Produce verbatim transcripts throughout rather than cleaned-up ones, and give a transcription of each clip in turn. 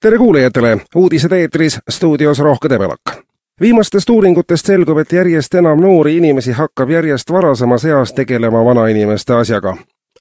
Tere kuulajatele! Uudised eetris, stuudios Rohke Debelak. Viimastest uuringutest selgub, et järjest enam noori inimesi hakkab järjest varasemas eas tegelema vanainimeste asjaga.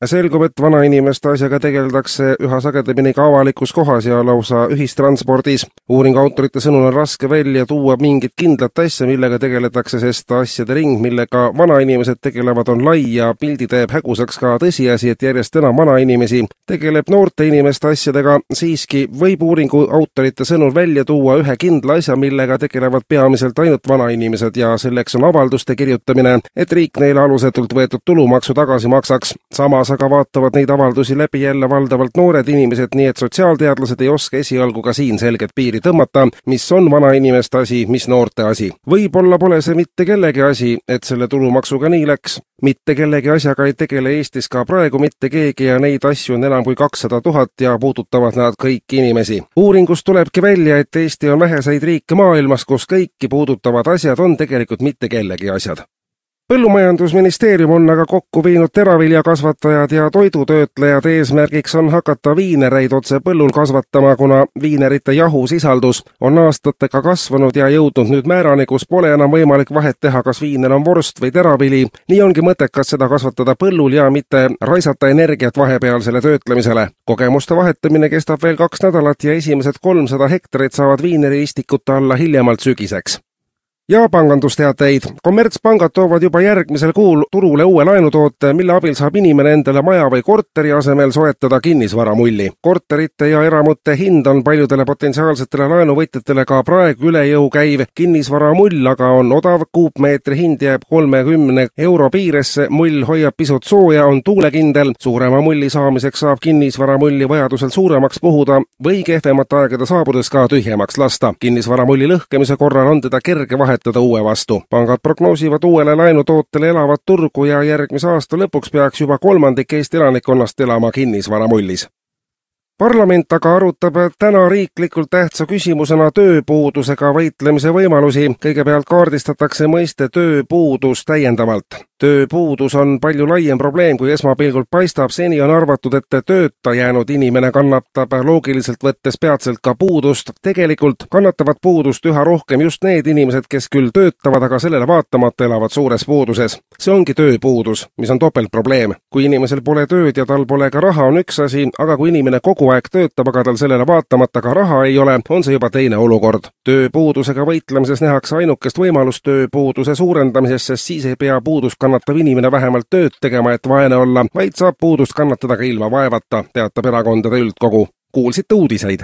Selgub, et vanainimeste asjaga tegeldakse üha sagedamini ka avalikus kohas ja lausa ühistranspordis. Uuringu autorite sõnul on raske välja tuua mingit kindlat asja, millega tegeletakse, sest asjade ring, millega vanainimesed tegelevad, on lai ja pildi teeb hägusaks ka tõsiasi, et järjest enam vanainimesi tegeleb noorte inimeste asjadega. Siiski võib uuringu autorite sõnul välja tuua ühe kindla asja, millega tegelevad peamiselt ainult vanainimesed ja selleks on avalduste kirjutamine, et riik neile alusetult võetud tulumaksu tagasi maksaks. Samas aga vaatavad neid avaldusi läbi jälle valdavalt noored inimesed, nii et sotsiaalteadlased ei oska esialgu ka siin selget piiri tõmmata, mis on vanainimeste asi, mis noorte asi. Võib-olla pole see mitte kellegi asi, et selle tulumaksuga nii läks. Mitte kellegi asjaga ei tegele Eestis ka praegu mitte keegi ja neid asju on enam kui kakssada tuhat ja puudutavad nad kõiki inimesi. Uuringust tulebki välja, et Eesti on väheseid riike maailmas, kus kõiki puudutavad asjad on tegelikult mitte kellegi asjad. Põllumajandusministeerium on aga kokku viinud teraviljakasvatajad ja toidutöötlejad. Eesmärgiks on hakata viinereid otse põllul kasvatama, kuna viinerite jahusisaldus on aastatega kasvanud ja jõudnud nüüd määrani, kus pole enam võimalik vahet teha, kas viiner on vorst või teravili. Nii ongi mõttekas seda kasvatada põllul ja mitte raisata energiat vahepealsele töötlemisele. Kogemuste vahetamine kestab veel kaks nädalat ja esimesed kolmsada hektarit saavad viineriistikute alla hiljemalt sügiseks. Ja pangandusteateid. Kommertspangad toovad juba järgmisel kuul turule uue laenutoote, mille abil saab inimene endale maja või korteri asemel soetada kinnisvaramulli. Korterite ja eramute hind on paljudele potentsiaalsetele laenuvõtjatele ka praegu üle jõu käiv. Kinnisvaramull aga on odav, kuupmeetri hind jääb kolmekümne euro piiresse, mull hoiab pisut sooja, on tuulekindel. Suurema mulli saamiseks saab kinnisvaramulli vajadusel suuremaks puhuda või kehvemate aegade saabudes ka tühjemaks lasta. Kinnisvaramulli lõhkemise korral on teda kerge vahet uue vastu. Pangad prognoosivad uuele laenutootele elavat turgu ja järgmise aasta lõpuks peaks juba kolmandik Eesti elanikkonnast elama kinnisvaramullis. Parlament aga arutab täna riiklikult tähtsa küsimusena tööpuudusega võitlemise võimalusi. Kõigepealt kaardistatakse mõiste tööpuudus täiendavalt. Tööpuudus on palju laiem probleem, kui esmapilgult paistab. Seni on arvatud, et tööta jäänud inimene kannatab loogiliselt võttes peatselt ka puudust. Tegelikult kannatavad puudust üha rohkem just need inimesed, kes küll töötavad, aga sellele vaatamata elavad suures puuduses. See ongi tööpuudus, mis on topeltprobleem. Kui inimesel pole tööd ja tal pole ka raha, on üks asi, aga kui inimene kogu aeg töötab, aga tal sellele vaatamata ka raha ei ole, on see juba teine olukord. Tööpuudusega võitlemises nähakse ainukest võimalust tööpuuduse suurendamises, sest siis ei pea puudus kannatav inimene vähemalt tööd tegema, et vaene olla, vaid saab puudust kannatada ka ilma vaevata, teatab erakondade üldkogu. Kuulsite uudiseid.